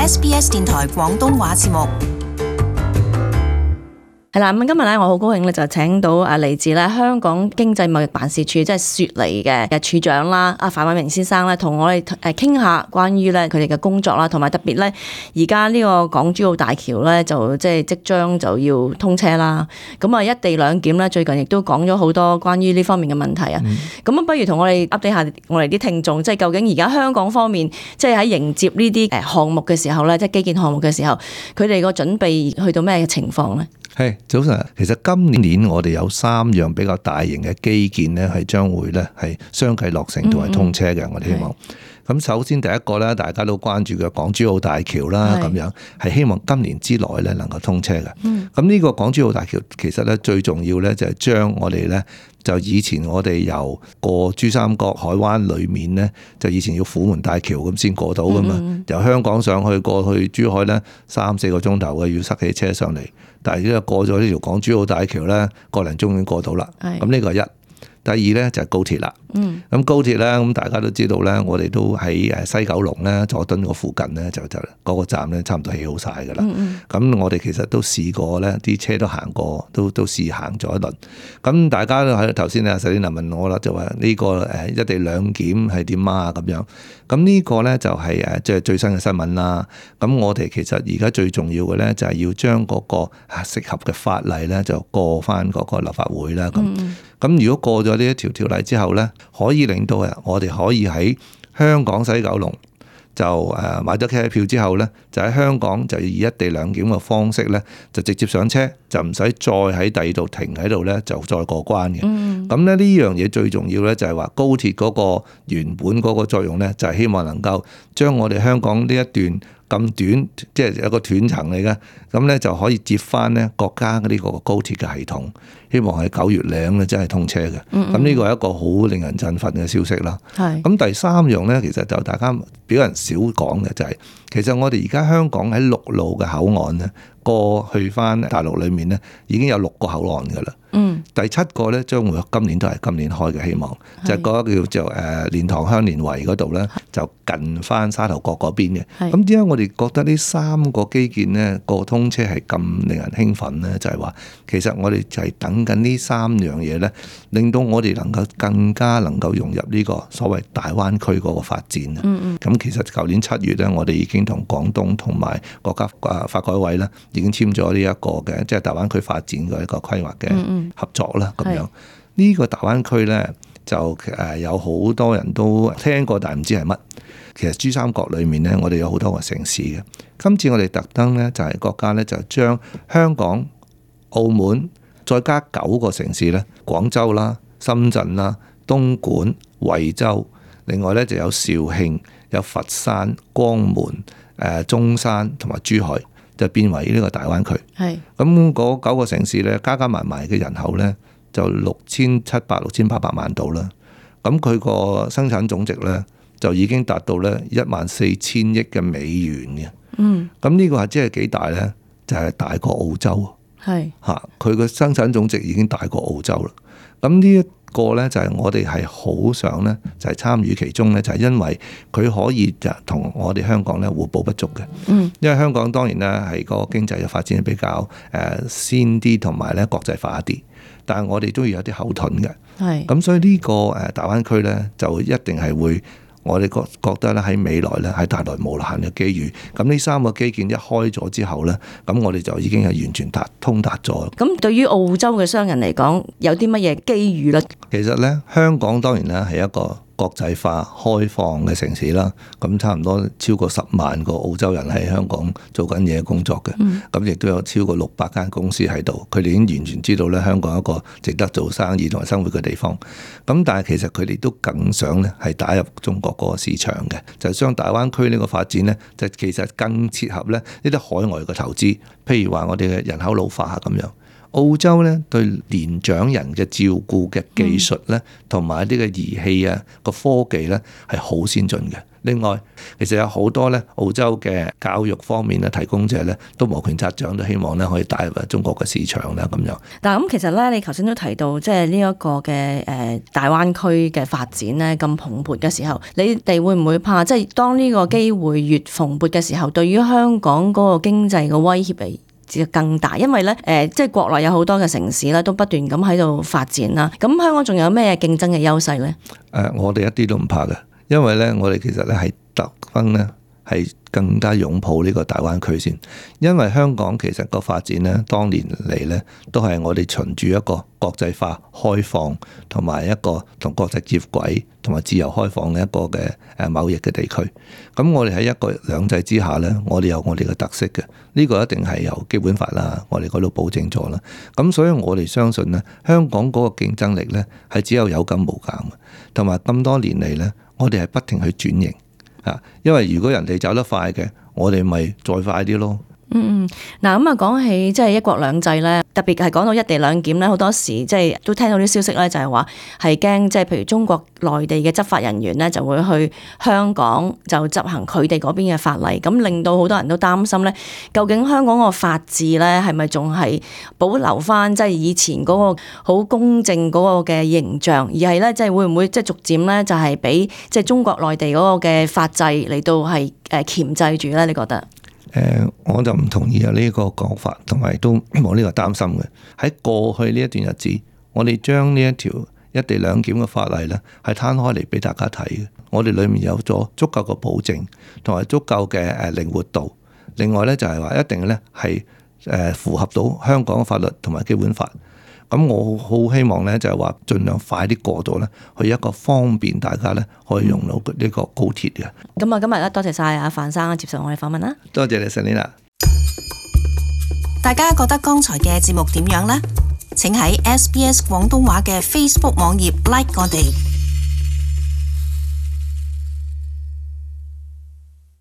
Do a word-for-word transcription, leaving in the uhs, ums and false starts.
S B S 電台廣東話節目。係啦，咁今日咧，我好高興咧，就請到啊嚟自咧香港經濟貿易辦事處，即係雪梨嘅嘅處長啦，阿范偉明先生咧，同我哋誒傾下關於咧佢哋嘅工作啦，同埋特別咧而家呢個港珠澳大橋咧就即係即將就要通車啦。咁啊一地兩檢咧，最近亦都講咗好多關於呢方面嘅問題啊。咁啊、嗯，不如同我哋 update 下我哋啲聽眾，即係究竟而家香港方面，即係喺迎接呢啲誒項目嘅時候咧，即係基建項目嘅時候，佢哋個準備去到咩嘅情況咧？係早晨，其實今年我哋有三樣比較大型嘅基建咧，係將會咧係相繼落成同埋通車嘅。嗯嗯我哋希望。咁首先第一個咧，大家都關注嘅港珠澳大橋啦，咁樣係希望今年之內咧能夠通車嘅。咁呢、嗯、個港珠澳大橋其實咧最重要咧就係將我哋咧就以前我哋由過珠三角海灣裏面咧，就以前要虎門大橋咁先過到噶嘛。嗯、由香港上去過去珠海咧三四個鐘頭嘅，要塞起車上嚟。但係而家過咗呢條港珠澳大橋咧，個零鐘已經過到啦。咁呢個係一。第二咧就係高鐵啦。咁、嗯、高鐵咧，咁大家都知道咧，我哋都喺誒西九龍咧佐敦個附近咧，就就嗰個站咧差唔多起好晒㗎啦。咁、嗯嗯、我哋其實都試過咧，啲車都行過，都都試行咗一輪。咁大家都喺頭先啊，石禮南問我啦，就話呢個誒一地兩檢係點啊咁樣。咁呢個咧就係誒即係最新嘅新聞啦。咁我哋其實而家最重要嘅咧就係要將嗰個適合嘅法例咧就過翻嗰個立法會啦。咁咁、嗯、如果過咗呢一條條例之後咧，可以令到我哋可以喺香港西九龍就誒買咗車票之後咧，就喺香港就以一地兩檢嘅方式咧，就直接上車，就唔使再喺第二度停喺度咧，就再過關嘅。咁咧呢樣嘢最重要咧，就係話高鐵嗰個原本嗰個作用咧，就係希望能夠將我哋香港呢一段咁短，即係有個斷層嚟嘅，咁咧就可以接翻咧國家呢個高鐵嘅系統，希望係九月零咧真係通車嘅。咁呢個係一個好令人振奮嘅消息啦。咁是第三樣咧，其實就大家比較人少講嘅就係、是，其實我哋而家香港喺陸路嘅口岸咧，過去翻大陸裏面咧，已經有六個口岸噶啦。嗯，第七個咧將會今年都係今年開嘅，希望是就係嗰個叫做誒蓮塘香蓮圍嗰度咧，就近翻沙頭角嗰邊嘅。咁點解我哋覺得呢三個基建咧個通車係咁令人興奮咧？就係、是、話其實我哋就係等緊呢三樣嘢咧，令到我哋能夠更加能夠融入呢個所謂大灣區嗰個發展。嗯嗯。咁其實舊年七月咧，我哋已經同廣東同埋國家啊發改委咧已經簽咗呢一個嘅即係大灣區發展嘅一個規劃嘅。嗯嗯合作啦，咁樣呢個大灣區咧就誒有好多人都聽過，但係唔知係乜。其實珠三角裏面咧，我哋有好多個城市嘅。今次我哋特登咧就係國家咧就將香港、澳門再加九個城市咧，廣州啦、深圳啦、東莞、惠州，另外咧就有肇慶、有佛山、江門、誒中山同埋珠海。就變為呢個大灣區，係咁嗰九個城市咧，加加埋埋嘅人口咧就六千七百六千八百萬度啦。咁佢個生產總值咧就已經達到咧一萬四千億嘅美元嘅。嗯，咁呢個係即係幾大咧？就係、是、大過澳洲。係嚇，佢個生產總值已經大過澳洲啦。咁呢一個咧就係我哋係好想咧，就係參與其中咧，就係因為佢可以就同我哋香港咧互補不足嘅。嗯，因為香港當然咧係個經濟嘅發展比較誒先啲，同埋咧國際化一啲，但係我哋都要有啲後盾嘅。係，咁所以呢個誒大灣區咧就一定係會。我哋覺覺得咧喺未來咧係帶來無限嘅機遇。咁呢三個基建一開咗之後咧，咁我哋就已經係完全達通達咗。咁對於澳洲嘅商人嚟講，有啲乜嘢機遇咧？其實咧，香港當然咧係一個國際化開放嘅城市啦，咁差唔多超過十萬個澳洲人喺香港做緊嘢工作嘅，咁亦、嗯、都有超過六百間公司喺度，佢哋已經完全知道咧香港一個值得做生意同埋生活嘅地方。咁但係其實佢哋都更想咧係打入中國嗰個市場嘅，就將大灣區呢個發展咧，就其實更切合咧呢啲海外嘅投資，譬如話我哋嘅人口老化咁樣。澳洲咧對年長人嘅照顧嘅技術咧，同埋一啲嘅儀器啊個科技咧係好先進嘅。另外，其實有好多咧澳洲嘅教育方面嘅提供者咧，都摩拳擦掌，都希望咧可以帶入中國嘅市場啦咁樣。但係咁其實咧，你頭先都提到即係呢一個嘅誒大灣區嘅發展咧咁蓬勃嘅時候，你哋會唔會怕即係當呢個機會越蓬勃嘅時候，對於香港嗰個經濟嘅威脅嚟就更大？因為咧誒，即係國內有好多嘅城市咧都不斷咁喺度發展啦。咁香港仲有咩競爭嘅優勢咧？誒，我哋一啲都唔怕嘅。因為咧，我哋其實咧係特登咧係更加擁抱呢個大灣區先，因為香港其實個發展咧，當年嚟咧都係我哋循住一個國際化、開放同埋一個同國際接軌同埋自由開放嘅一個嘅誒貿易嘅地區。咁我哋喺一國兩制之下咧，我哋有我哋嘅特色嘅，呢個一定係由基本法啦，我哋嗰度保證咗啦。咁所以我哋相信咧，香港嗰個競爭力咧係只有有減無減嘅，同埋咁多年嚟咧。我哋係不停去轉型啊，因為如果人哋走得快嘅，我哋咪再快啲咯。嗯嗯，嗱咁啊，講起即係一國兩制咧，特別係講到一地兩檢咧，好多時即係都聽到啲消息咧，就係話係驚即係譬如中國內地嘅執法人員咧就會去香港就執行佢哋嗰邊嘅法例，咁令到好多人都擔心咧，究竟香港個法治咧係咪仲係保留翻即係以前嗰個好公正嗰個嘅形象，而係咧即係會唔會即係逐漸咧就係俾即係中國內地嗰個嘅法制嚟到係誒鉗制住咧？你覺得？誒，我就唔同意有呢個講法，同埋都冇呢個擔心嘅。喺過去呢一段日子，我哋將呢一條一地兩檢嘅法例咧，係攤開嚟俾大家睇嘅。我哋裡面有咗足夠嘅保證，同埋足夠嘅誒靈活度。另外咧就係話一定咧係誒符合到香港嘅法律同埋基本法。咁我好希望咧就係話盡量快啲過到咧，去一個方便大家咧可以用到呢個高鐵嘅。咁啊，今日咧多謝晒阿范生接受我哋訪問啦。多謝你，Selina。大家覺得剛才嘅節目點樣呢？請喺 S B S 廣東話嘅 Facebook 網頁 like 我哋。